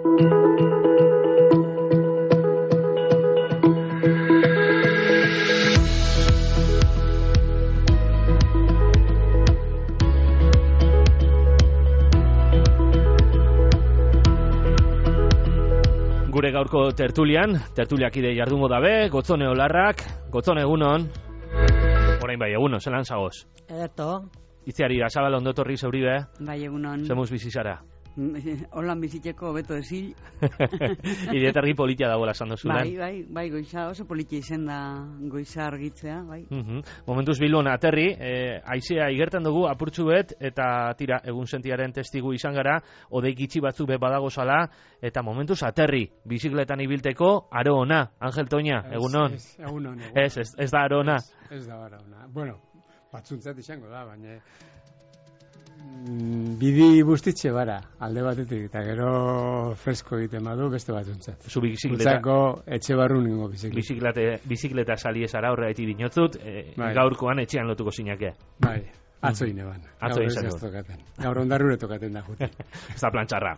Gure gaurko tertuliakide jardungo dabe, Gotzone Olarrak, Gotzone egunon. Orain bai, egunon, zelan zagoz? Ederto. Itziari, Azabal ondotorri zeuribe? Bai, egunon. Zemuz bizizara? Holan bizitzeko beto ezil. Idietargi politia dagoela esan dozunan. Bai, goiza oso politia izen da goiza argitzea, bai. Momentuz Bilbon aterri, haizea igertan dugu apurtxu bet, eta tira, egun sentiaren testigu izan gara, odei gitxi batzu be badagozala, eta momentuz aterri, bizikletan ibilteko, aro ona, Angel Toña, egunon. Egunon. Ez da aro ona. Ez da aro ona. Bueno, batzuntzat izango da, baina bidi bustitxe bara, alde batetik, eta gero fresko egiten badu beste batzuntzat. Zu bizikleta... etxe barru ningo bizikleta. Bizikleta sali ezara horregaiti dinotzut, gaurkoan etxean lotuko zinake. Bai, atzo ineban. Gaur ondarrure tokaten da jute. Ez da plantxarra.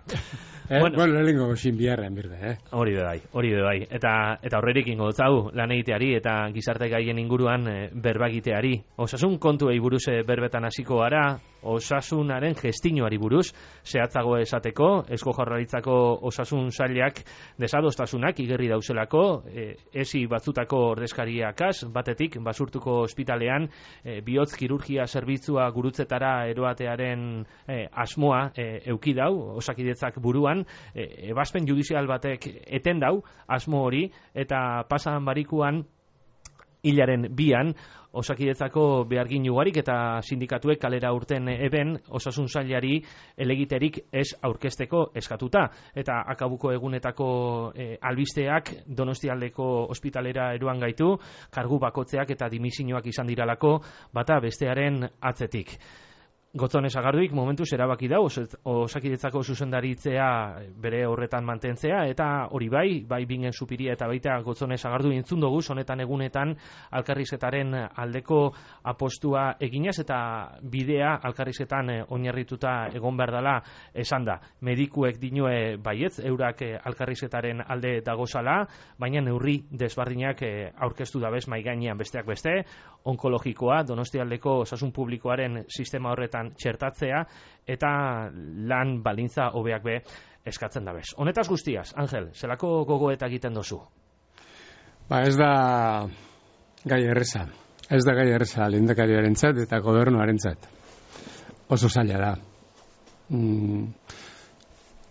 Bueno, lehenko goxin biharren birde, Hori be bai. Eta horrerik ingo dutzagu, lan egiteari eta gizarte gaien inguruan berbagiteari. Osasun kontuei buruz berbetan hasiko gara, osasunaren gestinoari buruz, zehatzago esateko, Eusko Jaurlaritzako osasun sailak desadostasunak igerri dauzelako, esi batzutako ordezkariakaz, batetik, basurtuko ospitalean, bihotz kirurgia zerbitzua gurutzetara eroatearen asmoa euki dau, Osakidetzak buruan, ebazpen judizial batek eten dau, asmo hori, eta pasan barikuan, hilaren 2an, Osakidetzako behargin ugarik eta sindikatuek kalera urten eben osasun sailari elegiterik ez aurkezteko eskatuta. Eta akabuko egunetako albisteak Donostialdeko ospitalera eroan gaitu, kargu bakotzeak eta dimisioak izan diralako bata bestearen atzetik. Gotzone Sagarduik momentuz erabaki da Osakidetzako zuzendaritzea bere horretan mantentzea, eta hori bai bingen supiria eta baita Gotzone Sagardu entzun dugu, honetan egunetan alkarrizketaren aldeko apostua eginez eta bidea alkarrizketan oinarrituta egon behar dela esan da. Medikuek dinue baietz, eurak alkarrizketaren alde dagozala, baina neurri desbardinak aurkeztu dabez maigainean besteak beste, onkologikoa, Donostialdeko osasun publikoaren sistema horretan txertatzea eta lan balintza hobeak be eskatzen dabez. Honetaz guztiaz, Angel, zelako gogoeta egiten dozu? Ez da gai erreza. Ez da gai erreza lehendakariarentzat eta gobernuarentzat. Oso zaila da.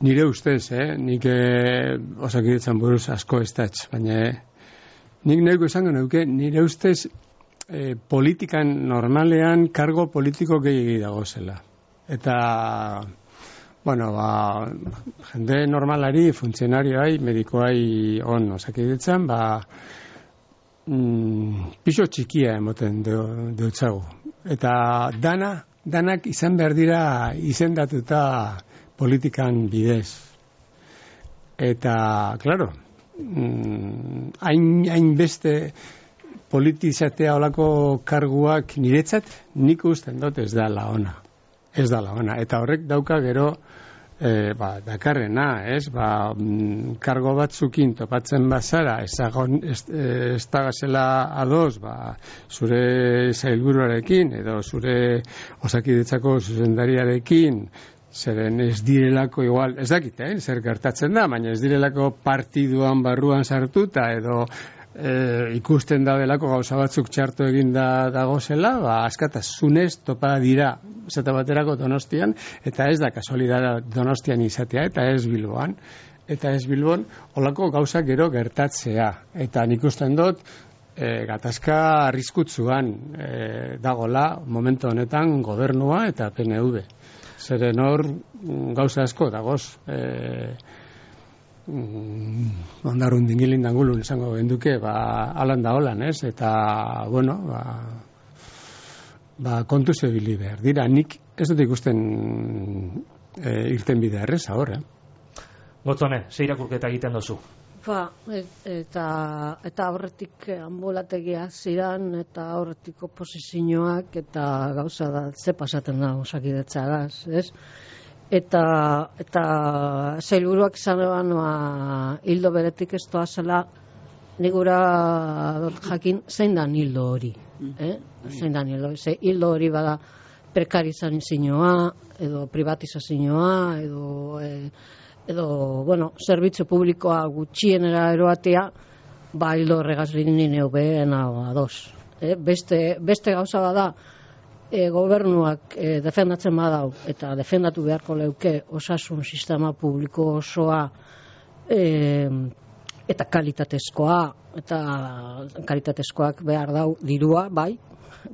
Nire ustez, nik Osakidetzan buruz asko ez datz, baina nik nahiko esango nuke, nire ustez politikan normalean kargo politiko gehiagi dagozela. Eta, jende normalari, funtzionarioai, medikoai Osakidetzan, piso txikia emoten deutzagu. Eta danak izan behar dira izendatuta politikan bidez. Eta, klaro, hain beste politizatea olako karguak niretzat nik usten dut ez da la ona. Eta horrek dauka gero dakarrena, kargo batzukin topatzen bazara, ez da gazela ados, zure sailburuarekin edo zure Osakidetzako zuzendariarekin, zeren ez direlako igual, ez dakit, zer gertatzen da, baina ez direlako partiduan barruan sartuta edo ikusten da delako gauza batzuk txarto egin dagozela, askatasunez topa dira zeta baterako Donostian, eta ez da kasualidad Donostian izatea, eta ez Bilboan. Eta ez Bilbon, olako gauzak gero gertatzea. Eta nik usten dut, gatazka arriskutsuan dagola momentu honetan gobernua eta PNV. Zeren hor gauza asko dagoz, ondarun dingilin dangulun esango genduke, alan da holan, eta, kontu zebili behar. Dira, nik ez dut ikusten irten bidea erreza hor, Gotzone, ze irakurketa egiten dozu? Eta horretik ambulategia ziran, eta horretik oposizioak, eta gauza da, ze pasaten da Osakidetzagaz, ez? eta sailburuak izan eban hildo beretik ez doazela nigura jakin zein da hildo hori. Zein da hildo, hildo hori bada prekarizazioa edo privatizazioa edo bueno, zerbitzu publikoa gutxienera eroatea, hildo horregaz linin eubeen ados. Beste gauza bada, gobernuak defendatzen badau eta defendatu beharko leuke osasun sistema publiko osoa eta kalitatezkoa, eta kalitatezkoak behar dau dirua, bai,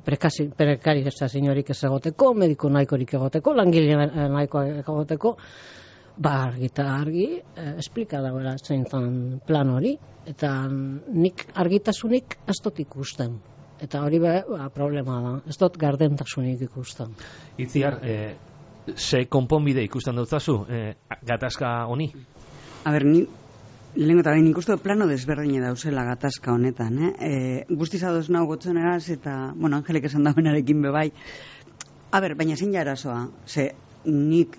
prekarizaziorik ez egoteko, mediku nahikorik egoteko, langile nahikoak egoteko, argi eta argi esplika dagoela zein plan hori, eta nik argitasunik ez dut ikusten. Eta hori problema da, ez dut gardentasunik ikusten. Itziar, ze konponbide ikusten dutzazu, gatazka honi? Ni lehenko eta behin ikustu plano desberdine dauzela gatazka honetan. Guztiz adoz nahu gotzoneraz eta, Angelek esan dauenarekin bebai. Baina zein arazoa, ze nik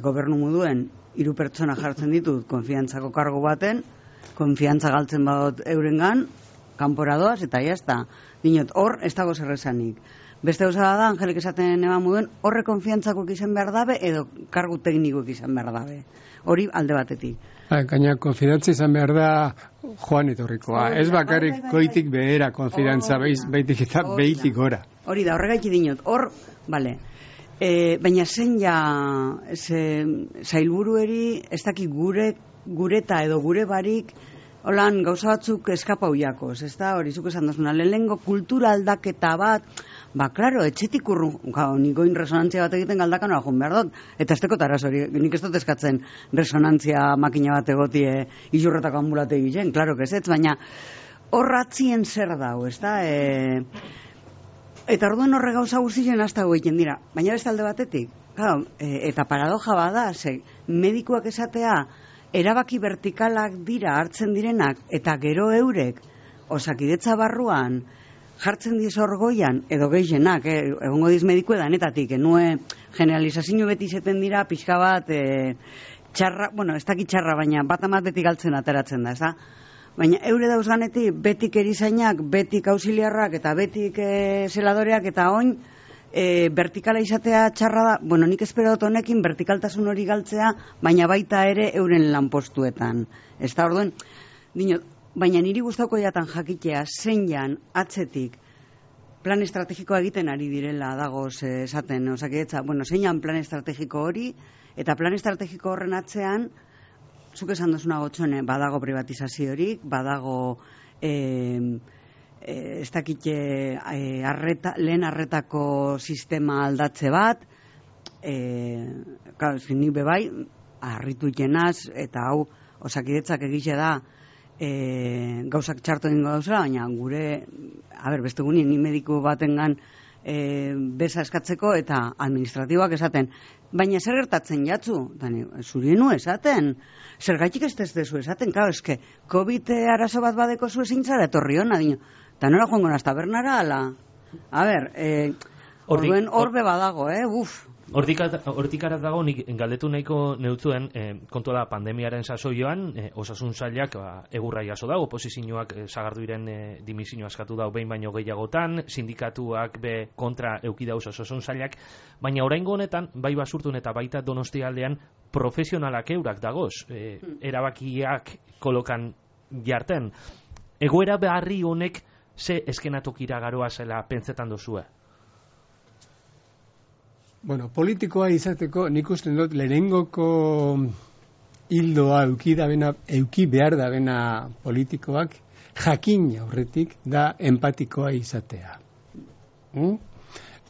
gobernu moduen 3 pertsona jartzen ditut konfiantzako kargo baten, konfiantza galtzen badot eurengan, kanporadoaz eta jazta. Dinot, hor ez dago zerrezanik. Beste gauza da, Angelek esaten eman moduen, horre konfiantzako izan behar dabe edo kargu teknikoak izan behar dabe. Hori alde batetik. Gaina konfidantza izan behar da joan etorrikoa. Ez bakarrik goitik behera konfidantza, baitik eta behitik gora. Hori da, horregaiti dinot. Hor, bale. Baina zen zailburueri ez dakik gureta edo gure barik holan gauza batzuk eskapau jakoz, ez da, hori zuk esan dozuna, lehenengo kultura aldaketa bat, klaro, etxetik nikoin resonantzia bat egiten galdakan hori joan behar dut, eta ez tekot araz hori, nik ez dut eskatzen resonantzia makina bat egotie izurretako ambulate egiten, klaro, ez, baina horratzien zer dau, ez da, eta orduen horre gauza guztien hasta egiten dira, baina beste alde batetik, claro, eta paradoja bada, medikuak esatea, erabaki vertikalak dira hartzen direnak eta gero eurek osakidetza barruan jartzen diz orgoian edo gehienak, egongo diz mediku edanetatik, enue generalizazio beti zeten dira pixka bat txarra, ez dakit txarra, baina bat amat beti galtzen ateratzen da, ez da? Baina eure dauzganetik betik erizainak, betik ausiliarrak eta betik zeladoreak eta oin vertikala izatea txarra da, nik espero dut honekin vertikaltasun hori galtzea, baina baita ere euren lanpostuetan. Ez da orduen, baina niri gustauko jatan jakitea zein jan atzetik plan estrategikoa egiten ari direla dagoz esaten, osakidetza, zein jan plan estrategiko hori, eta plan estrategiko horren atzean, zuk esan dozuna gotxone, badago privatizaziorik, badago ez dakite lehen arretako sistema aldatze bat, nik bebai, harritu ikenaz, eta hau osakidetzak egize da gauzak txartu egingo dauzela, baina gure, beste guni, ni mediku batengan beza eskatzeko eta administratiboak esaten, baina zer gertatzen jatzu? Zurienu esaten, zergatik ez dezu esaten, eske, COVID arazo bat badeko zu ezin zara etorri hona, eta nola joango naz tabernara, ala? Horbe badago, Hortikarat dago, nik galdetu nahiko neutzuen, kontua da, pandemiaren sasoioan, osasun sailak egurra jaso dago, oposizioak sagardu iren dimisioa askatu dago behin baino gehiagotan, sindikatuak be kontra eukidauz osasun sailak, baina oraingo honetan, bai Basurtun eta baita Donostialdean, profesionalak eurak dagoz, erabakiak kolokan jarten. Egoera beharri honek ze eskenatokira garoa zela pentsetan dozue? Politikoa izateko nik usten dut lehenengoko hildoa euki behar da bena politikoak jakin aurretik da empatikoa izatea.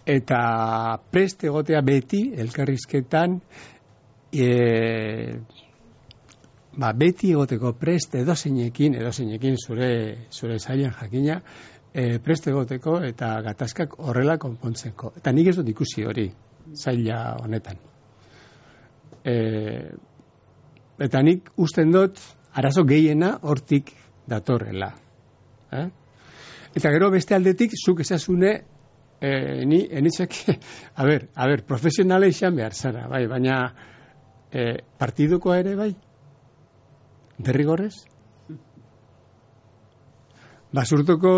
Eta prest egotea beti elkarrizketan beti egoteko prest edozeinekin zure zailan jakina prest egoteko eta gatazkak horrela konpontzeko. Eta nik ez dut ikusi hori zaila honetan. Eta nik usten dut arazo gehiena hortik datorrela. Eta gero beste aldetik zuk esasune enitzek, a ber, profesionala izan behar zara, bai, baina partidukoa ere bai, derrigorrez? Basurtuko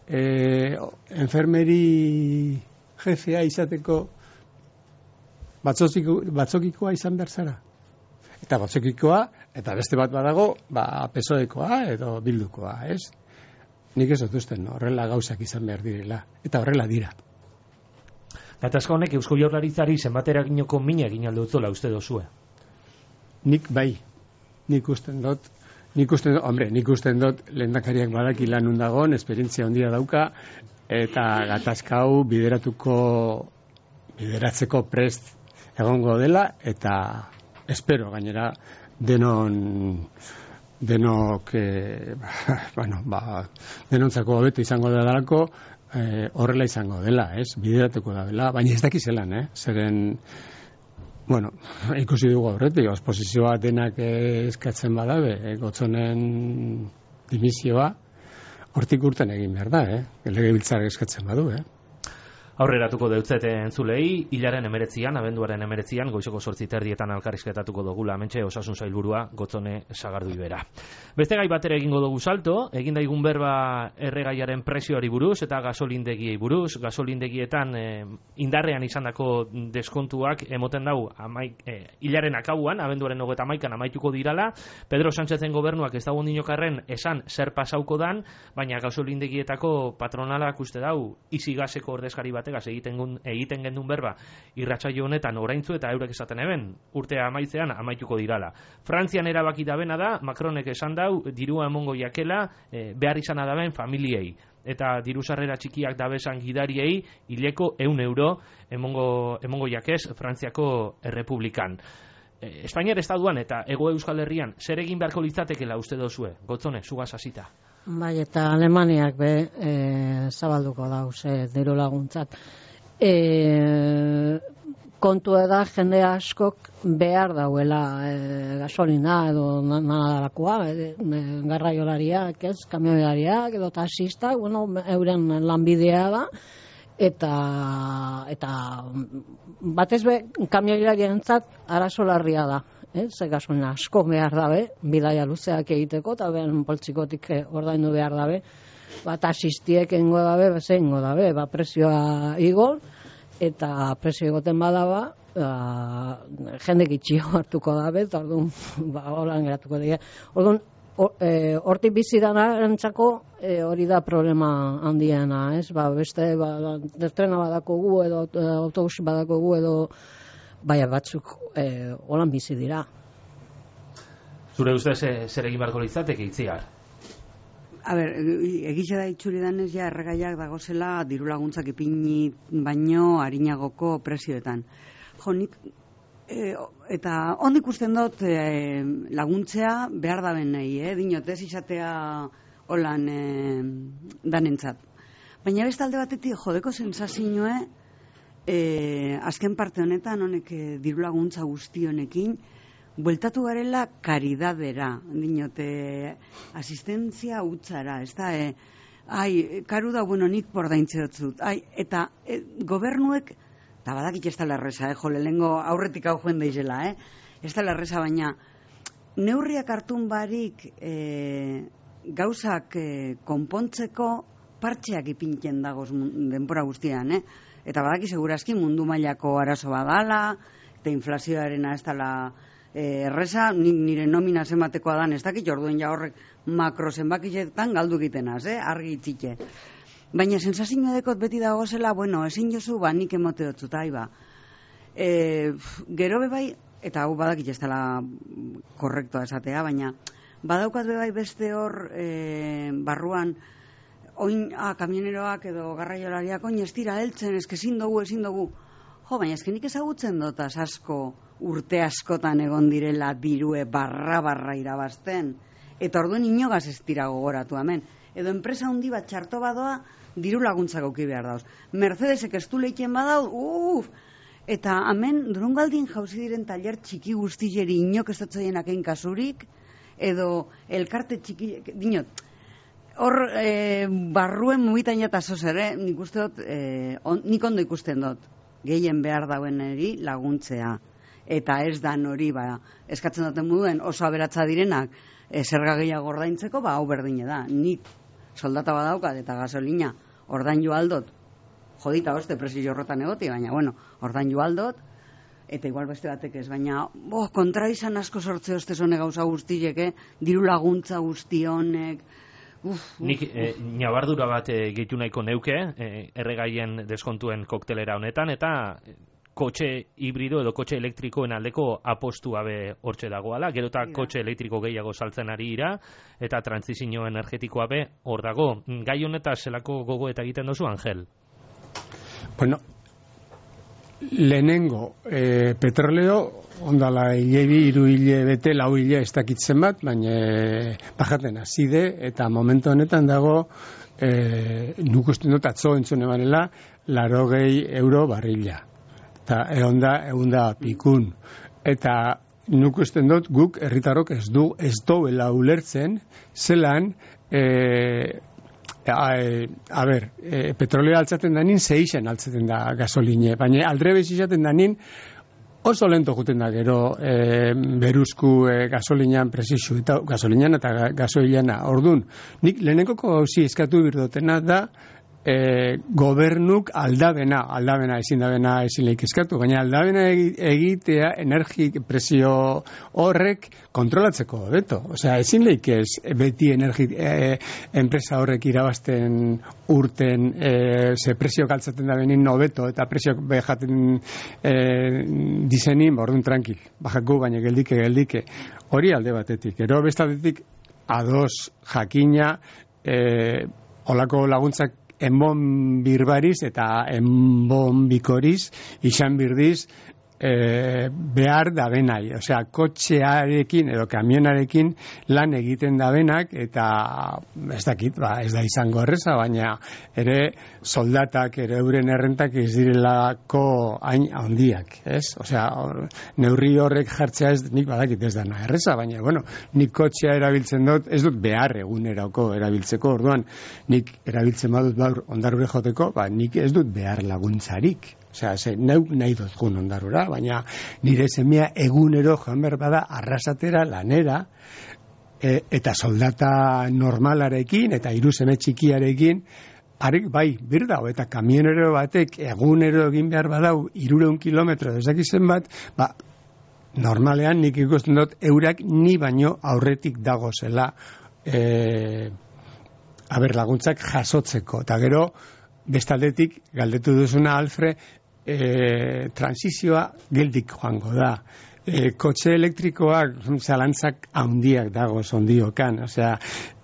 enfermeri jefea izateko batzokikoa izan behar zara. Eta batzokikoa, eta beste bat badago, PSOEkoa edo Bildukoa, ez? Nik ez dutuzten, horrela gauzak izan behar direla. Eta horrela dira. Gatazka honek Eusko Jaurlaritzari zenbatera ginoko mina egin aldo utzola uste dozue? Nik bai. Nik usten dut lehendakariak badaki lanun dagoen, esperientzia handia dauka, eta gatazka hau bideratzeko prest egongo dela, eta espero gainera denok denontzako hobeto izango delako, horrela izango dela, ez? Bideratuko da dela, baina ez dakizelan, zeren ikusi dugu horretik, oposizioa denak eskatzen badabe, Gotzonen dimisioa, hortik urten egin behar da, legebiltzar eskatzen badu, Aurreratuko deutzete entzulei, hilaren 19, abenduaren 19, goizeko 8:30 elkarrizketatuko dugula hementxe osasun sailburua Gotzone Sagardui bera. Beste gai batera egingo dugu salto, egin daigun berba erregaiaren prezioari buruz eta gasolindegiei buruz, gasolindegietan indarrean izandako deskontuak emoten dau hilaren akauan, abenduaren 31 amaituko dirala. Pedro Sánchezen gobernuak ez dago ondinokarren esan zer pasauko dan, baina gasolindegietako patronalak uste dau izi gaseko ordezkari batek egiten gendun berba irratsaio honetan oraintzu eta eurek esaten eben urtea amaitzean amaituko dirala. Frantzian erabaki dabena da, Macronek esan dau dirua emongo jakela behar izana daben familiei eta diru sarrera txikiak dabesan gidariei hileko 100 euro emongo jakez Frantziako Errepublikan. Espainiar estatuan eta Hego Euskal Herrian zer egin beharko litzatekela uste dozue? Gotzone, zugaz hasita. Bai, eta Alemaniak zabalduko dauze diru laguntzat. Kontua da jende askok behar dauela gasolina edo nadalakoa, garraiolariak, kamioilariak edo taxistak, euren lanbidea da, eta batez be kamioilarientzat arazo larria da. Ze gasolina asko behar dabe, bidaia luzeak egiteko, eta ben poltsikotik ordaindu behar dabe, taxistiek engo dabe, prezioa igor, eta prezio egoten badaba, jende gitxio hartuko dabe, eta orduan, holan geratuko dira. Orduan, hortik bizidarantzako hori da problema handiena, ez? Beste, trena badakogu, edo autobus badakogu, edo batzuk holan bizi dira. Zure ustez zer egin beharko litzateke Itziar? Egize da itxuri danez ja erregaiak dagozela diru laguntzak ipini baino harinagoko prezioetan. Nik eta ondik ikusten dut laguntzea behar daben nahi, dinotez izatea holan danentzat. Baina beste alde batetik jodeko sensazioa azken parte honetan honek diru laguntza guzti honekin bueltatu garela karidadera, dinote asistentzia utzara, ez da, karu da, nik bordaintze dutzut, eta gobernuek, eta badakit ez da lerreza, lehengo aurretik hau joen daizela, ez da lerreza, baina neurriak hartun barik gauzak konpontzeko partxeak ipintzen dagoz denbora guztian, eta badaki segurazki mundu mailako arazo badala, eta inflazioarena ez dala erreza, nire nomina zenbatekoa dan ez dakit, orduen ja horrek makro zenbakitetan galdu egitenaz, argi itzike. Baina sensazioa dekot beti dagozela, ezin jozu, nik emote dutut, gero bebai, eta hau badakit ez dela korrektoa esatea, baina badaukat bebai beste hor barruan, oin, kamioneroak edo garraiolariak, oin ez dira heltzen, ezin dugu. Baina ezkenik ezagutzen dotaz asko, urte askotan egon direla dirue barra irabazten. Eta orduen inogaz ez dira gogoratu hemen. Edo enpresa handi bat txarto badoa, diru laguntzak auki behar dauz. Mercedesek ez du leikien badauz, eta hemen Durangaldin jauzi diren taller txiki guztileri inok ez dutzoienak egin kasurik, edo elkarte txiki, dinot, hor barruen mugitan eta zoz ere, nik uste dut, nik ondo ikusten dut, gehien behar daueneri laguntzea. Eta ez da hori, eskatzen duten moduen oso aberatza direnak zerga gehiago ordaintzeko, hau berdine da. Nik soldata badaukat eta gasolina ordaindu aldot, jodita hoste presio horretan egoti, baina, ordaindu aldot, eta igual beste batek ez, baina kontra izan asko sortze hoste zone gauza guztiek, diru laguntza guzti honek. Nik nabardura bat gehitu nahiko neuke, erregaien deskontuen koktelera honetan, eta kotxe hibrido edo kotxe elektrikoen aldeko apostu abe hortxe dagoala, gero eta kotxe elektriko gehiago saltzen ari ira, eta transizio energetikoa be hor dago. Gai honetaz zelako gogo eta egiten dozu, Angel? Bueno, lehenengo, petroleo, ondala hiru hile bete, lau hile ez dakitzen bat, baina bajaten azide, eta momentu honetan dago, nuk usten dut atzo entzune banela, 80 euro barrila. Eta eunda pikun. Eta nuk usten dut guk herritarrok ez duela ulertzen, zelan, petrolea altzaten danin, zeixen altzaten da gasoline, baina aldrebez izaten danin, oso lento juten da gero beruzku gasolinean presizu, eta gasolinean eta gasoilana. Ordun, nik lehenenko gauzi eskatu birdotena da, gobernuk aldabena ezin lehik eskatu, baina aldabena egitea energi presio horrek kontrolatzeko beto. Osea, ezin lehik ez beti enpresa horrek irabazten urten ze presio galtzaten da benin nobeto eta presio behaten dizenin, orduan tranquil, bajako baina geldike. Hori alde batetik. Ero bestatetik ados jakina olako laguntzak enbon birbariz eta enbon bikoriz izan birdiz behar da benai. Osea, kotxearekin edo kamionarekin lan egiten da benak eta ez dakit, ez da izango erreza, baina ere soldatak, ere euren errentak ez direlako hain handiak, ez? Osea, neurri horrek jartzea ez, nik badakit ez dana erreza, baina, nik kotxea erabiltzen dut, ez dut behar egunerako erabiltzeko, orduan, nik erabiltzen badut baur ondarure joteko, nik ez dut behar laguntzarik. Osea, neuk nahi dut gun ondarura, baina nire semea egunero joan behar bada arrasatera, lanera, eta soldata normalarekin, eta hiru seme txikiarekin, bai, birdau, eta kamionero batek egunero egin behar badau 300 kilometro dezakizen bat, normalean nik ikusten dut eurak ni baino aurretik dago zela laguntzak jasotzeko, eta gero bestaldetik galdetu duzuna Alfre, transizioa geldik joango da. Kotxe elektrikoak zalantzak handiak dago zondiokan. Osea,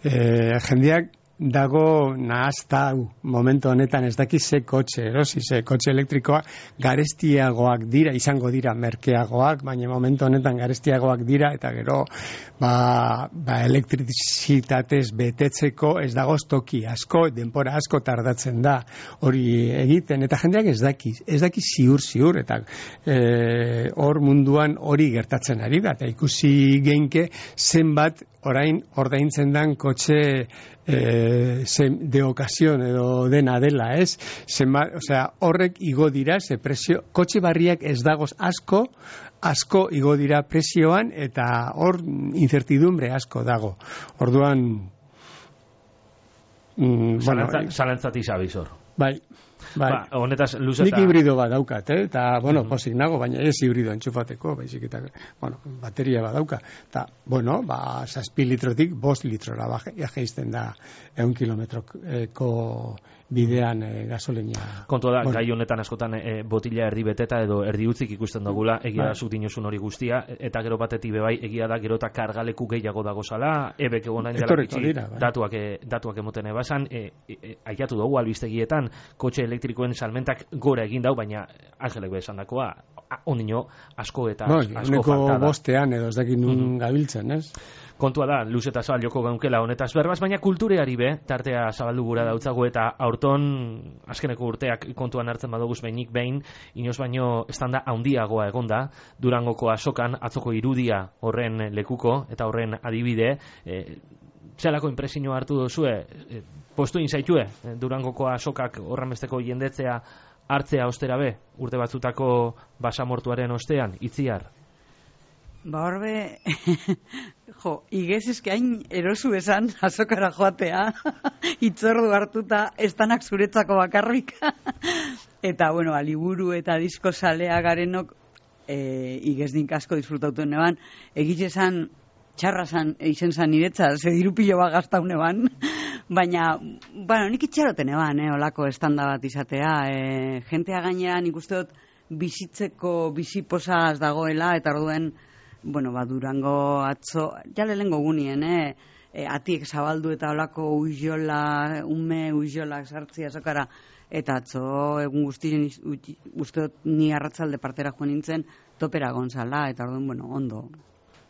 jendeak dago nahazta momentu honetan ez daki ze kotxe erosi, ze kotxe elektrikoa garestiagoak dira, izango dira merkeagoak, baina momentu honetan garestiagoak dira eta gero elektrizitatez betetzeko ez dago toki asko, denpora asko tardatzen da hori egiten, eta jendeak ez daki ziur eta hor munduan hori gertatzen ari da, eta ikusi geinke zenbat orain ordaintzen dan kotxe de ocasión edo dena dela, ez? Osea, horrek igo dira, ze presio, kotxe barriak ez dagoz asko igo dira presioan, eta hor incertidumbre asko dago. Orduan, zalantzati zabizor. Bai. Honetaz luzeta... Nik hibrido bat daukat, eta, posik nago, baina ez hibrido entxufateko, baizik eta, bateria bat dauka. Eta, 6 litrotik 5 litrora jaizten da 100 kilometroko bidean gasolina. Kontua da, gai honetan askotan botila erdi beteta edo erdi utzik ikusten dugula, egia da zuk dinozun hori guztia, eta gero batetik bebai, egia da gero eta kargaleku gehiago dago zala, ebek egon nahi dela bitxi, datuak emoten ebasan, aiatu dugu albistegietan, kotxe elektrikoen salmentak gora egin dau, baina Angelek besan dakoa, ondino asko eta asko falta da. Bostean edo ez dakit nun gabiltzen, ez? Kontua da, luz eta zabal joko gaunkela honetaz berbaz, baina kultureari be, tartea zabaldu gura dautzago, eta aurton azkeneko urteak kontuan hartzen badoguz behinik behin, inoz baino estanda handiagoa egonda, Durangoko azokan, atzoko irudia horren lekuko, eta horren adibide, zelako impresioa hartu duzue, postu inzaitue, Durangoko azokak horrenbesteko jendetzea hartzea ostera be, urte batzutako basamortuaren ostean, Itziar? Ba horbe, igez eske hain erosu esan azokara joatea, itzordu hartuta, estanak zuretzako bakarrik. Eta, bueno, liburu eta disko salea garenok, igez nik asko disfrutauten eban, egitze esan, txarra zan, eizen zan niretza, ze dirupilo bat gaztaun eban, baina, bueno, nik itxaroten eban, olako estanda bat izatea, jentea gainera nik uste dut bizitzeko bizipozaz dagoela, eta orduen, bueno, Durango atzo, jale lehenko gunien, atiek zabaldu eta olako uizola, uizolak sartzia azokara, eta atzo egun guztien uste dut ni arratzalde partera joan nintzen topera gonzala, eta orduen, bueno, ondo.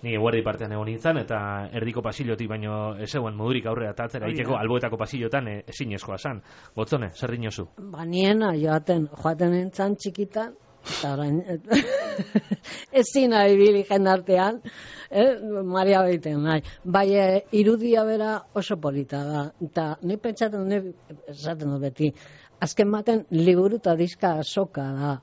Ni eguerdi partean egon nintzen, eta erdiko pasillotik baino ez eguen modurik aurrera eta atzera egiteko alboetako pasillotan ezinezkoa zan. Gotzone, zer dinozu? Niena joaten nintzen txikitan, eta orain ezin abibili jendartean, Maria behiten nahi. Bai, irudia bera oso polita da, eta ni pentsaten esaten dut beti, azken baten liburu eta diska azoka da,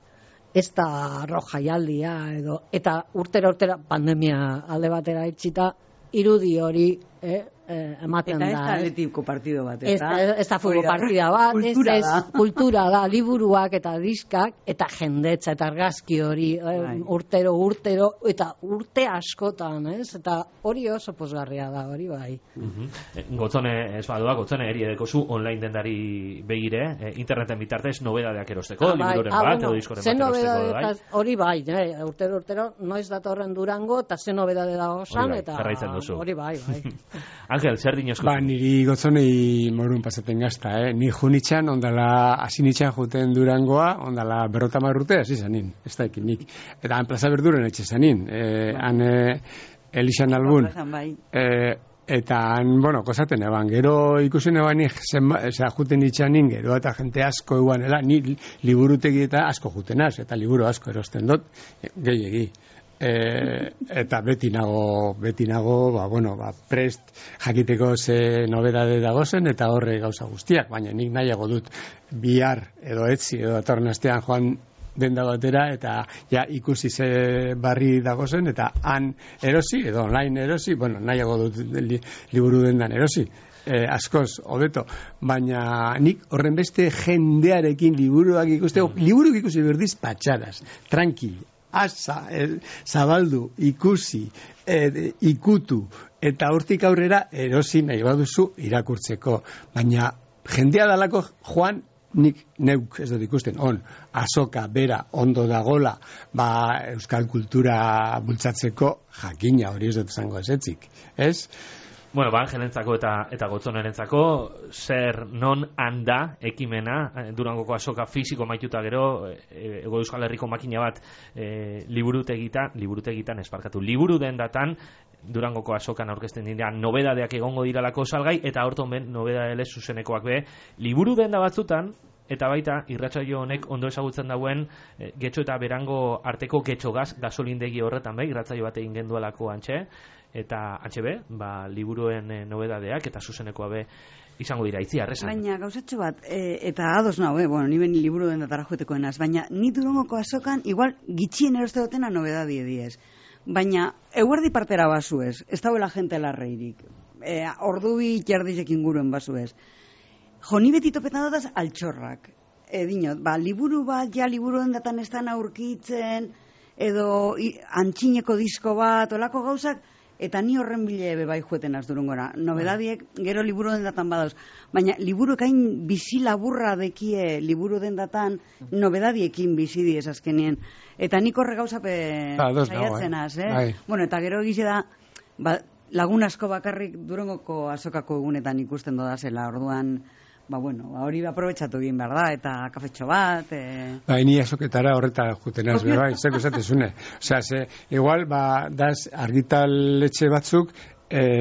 ez da rojaialdia edo, eta urtera pandemia alde batera itxita, irudi hori ematen da. Eta ez da atletiko partido bat, ez da futbol partida bat, kultura da, liburuak eta diskak, eta jendetza eta argazki hori, urtero, eta urte askotan, eta hori oso pozgarria da, hori bai. Gotzone, ez badua, Gotzone eri edekozu online dendari begire, interneten bitartez nobedadeak erosteko, libururen bat, edo diskoren bat erosteko, bai? Hori bai, urtero, noiz datorren Durango, eta ze nobedade da osan, eta hori bai. Angel, zer dinozko? Niri Gotzonei morun pasaten gazta, Ni junitxan, ondala, asinitxan juten Durangoa, ondala 50 urte, hasi zanin, ez da ekinik. Eta han plaza berduren etxe zanin, han Elixan Albun. Eta han, bueno, kozaten eban, gero ikusen eban juten itxanin, gero eta jente asko eguanela, ni liburutegi eta asko jutenaz, eta liburu asko erosten dut, gehiegi. Eta beti nago prest jakiteko ze nobedade dagozen eta horre gauza guztiak, baina nik nahiago dut bihar edo etzi edo datorren astean joan denda batera eta ja ikusi ze barri dagozen eta han erosi edo online erosi, bueno, nahiago dut liburu dendan erosi. Askoz, hobeto, baina nik horren beste jendearekin liburuak liburuk ikusi berdiz patxaraz, tranquil, zabaldu, ikusi, ikutu, eta hortik aurrera erosi nahi baduzu irakurtzeko. Baina jendea dalako joan, nik neuk ez dut ikusten, azoka, bera, ondo dagola, euskal kultura bultzatzeko jakina hori ez dut zango ezetzik, ez? Bueno, Angelentzako eta Gotzonerentzako zer non handa ekimena, Durangoko azoka fisiko maituta gero, Ego Euskal Herriko makina bat liburutegitan esparkatu. Liburu dendatan Durangoko azokan aurkezten direan nobedadeak egongo diralako salgai, eta horton ben nobedadele zuzenekoak be, liburu denda batzutan, eta baita irratsaio honek ondo ezagutzen dauen Getxo eta Berango arteko Getxo gasolindegi horretan be, irratsaio bat egin genduelako antxe, eta antxe be, liburuen nobedadeak eta zuzenekoa be izango dira, Itziar, esan. Baina gauzatxo bat, eta ados nau, bueno, ni ben liburu den datara joetekoenaz, baina ni Durangoko azokan igual gitxien eroste dutena nobedadie diez. Baina eguerdi partera bazuez, ez dauela jente larreirik, ordubi jardizek inguruen bazuez. Jo, ni beti topetan dutaz altxorrak. Dinot, liburu bat, liburu den datan ez dan aurkitzen, edo antxineko disko bat, olako gauzak, eta ni horren bile bai jueten az Durangora. Nobedadiek gero liburu den datan badauz. Baina liburu ekain bizi laburra dekie liburu den datan nobedadiekin bizi diez azkenien. Eta nik horre gauzape saiatzen az, Bueno, eta gero egize da, lagun asko bakarrik Durangoko azokako egunetan ikusten dodazela, orduan, hori aprobetxatu egin behar da, eta kafetxo bat. Ni azoketara horreta jutenaz, zeko esatezune. Osea, igual, daz argitaletxe batzuk,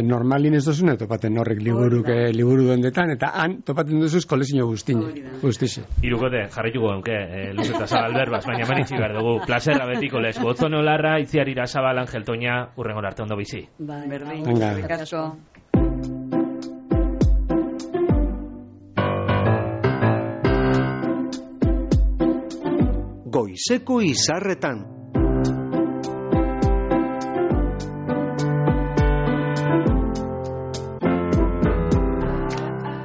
normalin ez dozune topaten horrek liburu dendetan, eta han topaten duzuz kolezio guztize. Irukote, jarrituko genke, luzeta zabal berbaz, baina manitzi behar dugu, plazerra betiko lez, Gotzone Olarra, Itziar Irasabal, Angel Toña, urrengor arte ondo bizi. Berdin, goizeko izarretan.